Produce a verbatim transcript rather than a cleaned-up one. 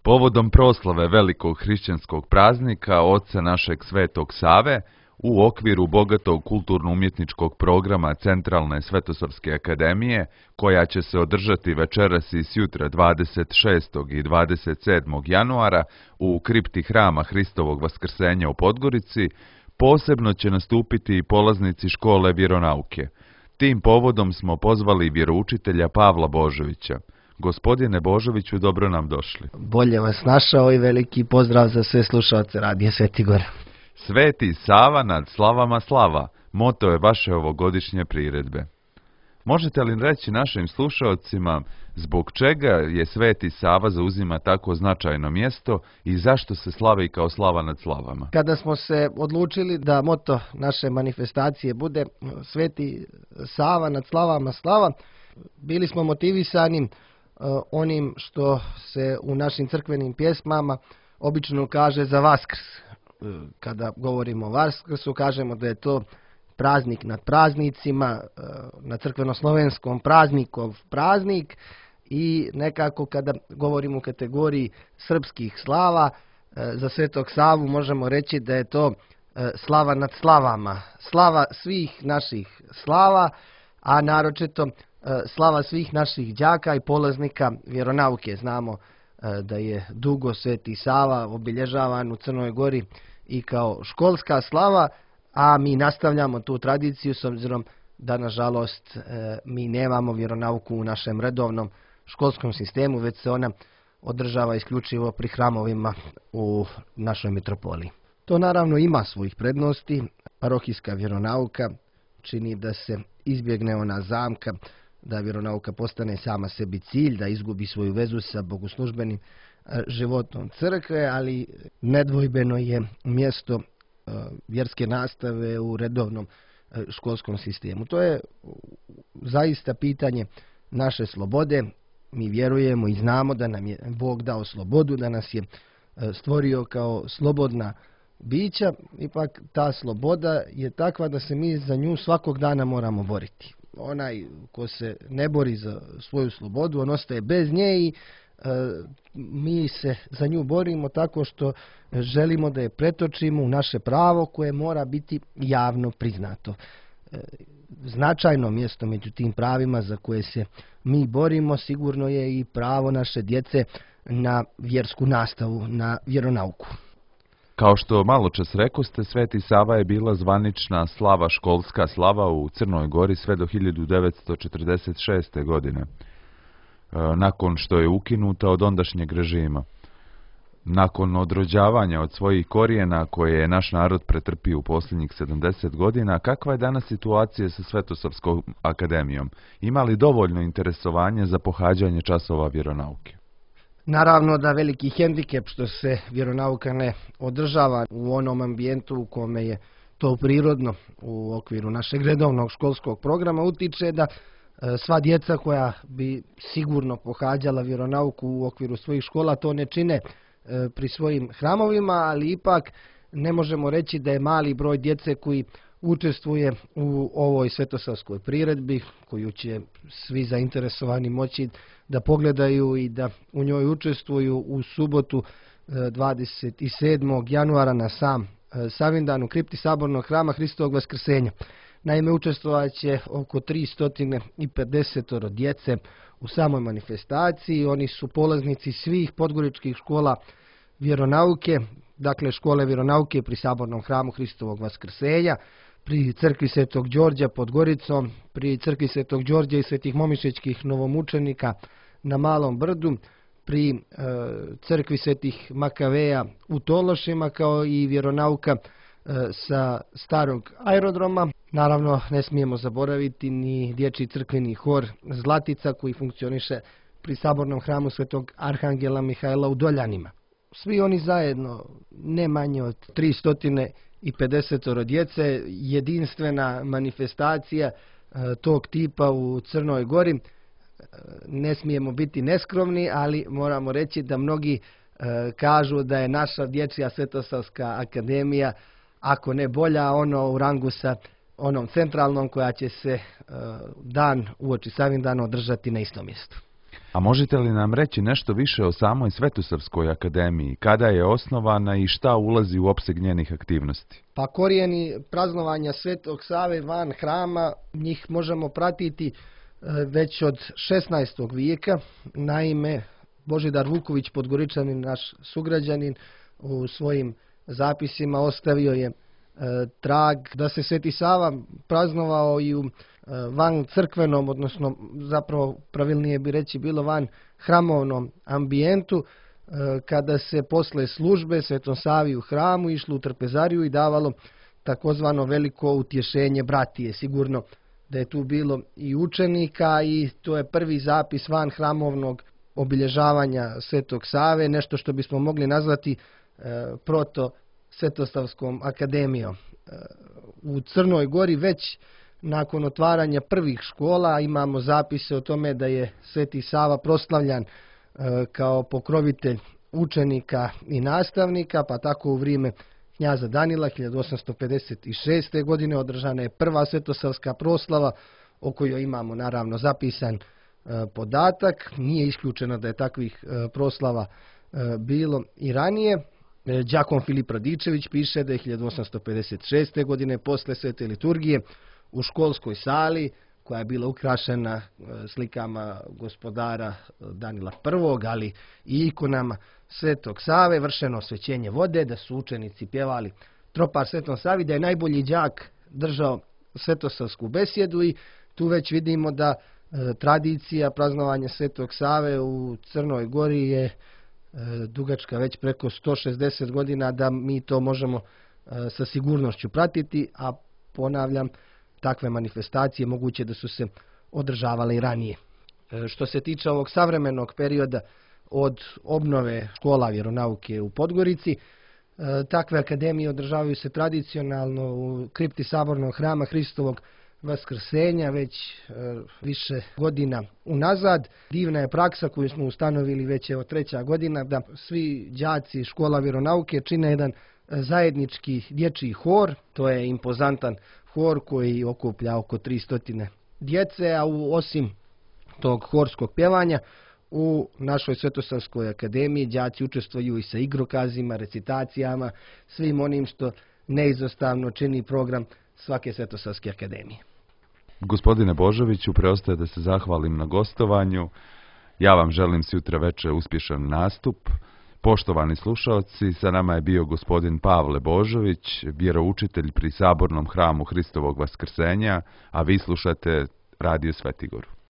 Povodom proslave velikog hrišćanskog praznika oca našeg Svetog Save, u okviru bogatog kulturno-umjetničkog programa Centralne Svetosavske akademije, koja će se održati večeras i sjutra dvadeset šestog i dvadeset sedmog januara u kripti Hrama Hristovog Vaskrsenja u Podgorici, posebno će nastupiti i polaznici škole vjeronauke. Tim povodom smo pozvali vjeroučitelja Pavla Božovića. Gospodine Božoviću, dobro nam došli. Bolje vas našao i veliki pozdrav za sve slušalce Radija Sveti Gor. Sveti Sava nad slavama slava, moto je vaše ovogodišnje priredbe. Možete li reći našim slušalcima zbog čega je Sveti Sava zauzima tako značajno mjesto i zašto se slavi kao slava nad slavama? Kada smo se odlučili da moto naše manifestacije bude Sveti Sava nad slavama slava, bili smo motivisani uh, onim što se u našim crkvenim pjesmama obično kaže za Vaskrs. Kada govorimo o Vaskrsu, kažemo da je to praznik nad praznicima, na crkveno-slovenskom praznikov praznik, i nekako kada govorimo u kategoriji srpskih slava, za Svetog Savu možemo reći da je to slava nad slavama, slava svih naših slava, a naročito slava svih naših đaka i polaznika vjeronauke. Znamo da je dugo Sveti Sava obilježavan u Crnoj Gori i kao školska slava, a mi nastavljamo tu tradiciju s obzirom da, nažalost, mi nemamo vjeronauku u našem redovnom školskom sistemu, već se ona održava isključivo pri hramovima u našoj metropoliji. To naravno ima svojih prednosti. Parohijska vjeronauka čini da se izbjegne ona zamka da vjeronauka postane sama sebi cilj, da izgubi svoju vezu sa bogoslužbenim životom crkve, ali nedvojbeno je mjesto vjerske nastave u redovnom školskom sistemu. To je zaista pitanje naše slobode. Mi vjerujemo i znamo da nam je Bog dao slobodu, da nas je stvorio kao slobodna bića. Ipak ta sloboda je takva da se mi za nju svakog dana moramo boriti. Onaj ko se ne bori za svoju slobodu, on ostaje bez nje i e, mi se za nju borimo tako što želimo da je pretočimo u naše pravo koje mora biti javno priznato. E, značajno mjesto među tim pravima za koje se mi borimo sigurno je i pravo naše djece na vjersku nastavu, na vjeronauku. Kao što malo čas rekoste, Sveti Sava je bila zvanična slava, školska slava u Crnoj Gori sve do hiljadu devetsto četrdeset šeste. godine, nakon što je ukinuta od ondašnjeg režima. Nakon odrođavanja od svojih korijena koje je naš narod pretrpio u posljednjih sedamdeset godina, kakva je danas situacija sa Svetosavskom akademijom? Ima li dovoljno interesovanje za pohađanje časova vjeronauke? Naravno da veliki hendikep što se vjeronauka ne održava u onom ambijentu u kome je to prirodno u okviru našeg redovnog školskog programa utiče da sva djeca koja bi sigurno pohađala vjeronauku u okviru svojih škola to ne čine pri svojim hramovima, ali ipak ne možemo reći da je mali broj djece koji učestvuje u ovoj svetosavskoj priredbi, koju će svi zainteresovani moći da pogledaju i da u njoj učestvuju u subotu dvadeset sedmog januara na sam Savindan u kripti Sabornog Hrama Hristovog Vaskrsenja. Naime, učestvovat će oko tristo pedeset djece u samoj manifestaciji. Oni su polaznici svih podgoričkih škola vjeronauke, dakle škole vjeronauke pri Sabornom Hramu Hristovog Vaskrsenja, pri crkvi Svetog Đorđa pod Goricom, pri crkvi Svetog Đorđa i Svetih Momišećkih novomučenika na Malom Brdu, pri e, crkvi Svetih Makaveja u Tološima, kao i vjeronauka e, sa starog aerodroma. Naravno, ne smijemo zaboraviti ni dječji crkveni hor Zlatica koji funkcioniše pri Sabornom hramu Svetog Arhangela Mihajla u Doljanima. Svi oni zajedno, ne manje od tristo pedeset djece, jedinstvena manifestacija e, tog tipa u Crnoj Gori. E, ne smijemo biti neskromni, ali moramo reći da mnogi e, kažu da je naša dječja Svetosavska akademija, ako ne bolja, ono u rangu sa onom centralnom koja će se e, dan uoči Savindana održati na istom mjestu. A možete li nam reći nešto više o samoj Svetosavskoj akademiji, kada je osnovana i šta ulazi u opseg njenih aktivnosti? Pa korijeni praznovanja Svetog Save van hrama, njih možemo pratiti već od šesnaestog vijeka. Naime, Božidar Vuković, Podgoričanin, naš sugrađanin, u svojim zapisima ostavio je e, trag da se Sveti Sava praznovao i u e, van crkvenom, odnosno zapravo pravilnije bi reći bilo van hramovnom ambijentu, e, kada se posle službe Svetom Savi u hramu išlo u trpezariju i davalo takozvano veliko utješenje bratije. Sigurno da je tu bilo i učenika i to je prvi zapis van hramovnog obilježavanja Svetog Save, nešto što bismo mogli nazvati e, proto Svetosavskom akademijom. E, u Crnoj Gori već nakon otvaranja prvih škola imamo zapise o tome da je Sveti Sava proslavljan e, kao pokrovitelj učenika i nastavnika, pa tako u vrijeme knjaza Danila hiljadu osamsto pedeset šeste. godine održana je prva svetosavska proslava o kojoj imamo naravno zapisan e, podatak. Nije isključeno da je takvih e, proslava e, bilo i ranije. E, đakon Filip Radičević piše da je hiljadu osamsto pedeset šeste. godine posle svete liturgije u školskoj sali, koja je bila ukrašena e, slikama gospodara Danila prvog. ali i ikonama Svetog Save, vršeno osvećenje vode, da su učenici pjevali tropar Svetom Savi, da je najbolji đak držao svetosavsku besjedu i tu već vidimo da e, tradicija praznovanja Svetog Save u Crnoj Gori je e, dugačka već preko sto šezdeset godina, da mi to možemo e, sa sigurnošću pratiti, a ponavljam, takve manifestacije moguće da su se održavale i ranije. E, što se tiče ovog savremenog perioda od obnove škola vjeronauke u Podgorici, e, takve akademije održavaju se tradicionalno u kripti Sabornog hrama Hristovog Vaskrsenja već e, više godina unazad. Divna je praksa koju smo ustanovili već evo treća godina, da svi đaci škola vjeronauke čine jedan zajednički dječji hor. To je impozantan hor koji okuplja oko tristo djece, a u, osim tog horskog pjevanja, u našoj Svetosavskoj akademiji đaci učestvuju i sa igrokazima, recitacijama, svim onim što neizostavno čini program svake Svetosavske akademije. Gospodine Božoviću, preostaje da se zahvalim na gostovanju. Ja vam želim sutra večer uspješan nastup. Poštovani slušalci, sa nama je bio gospodin Pavle Božović, vjeroučitelj pri Sabornom hramu Hristovog Vaskrsenja, a vi slušate Radio Svetigoru.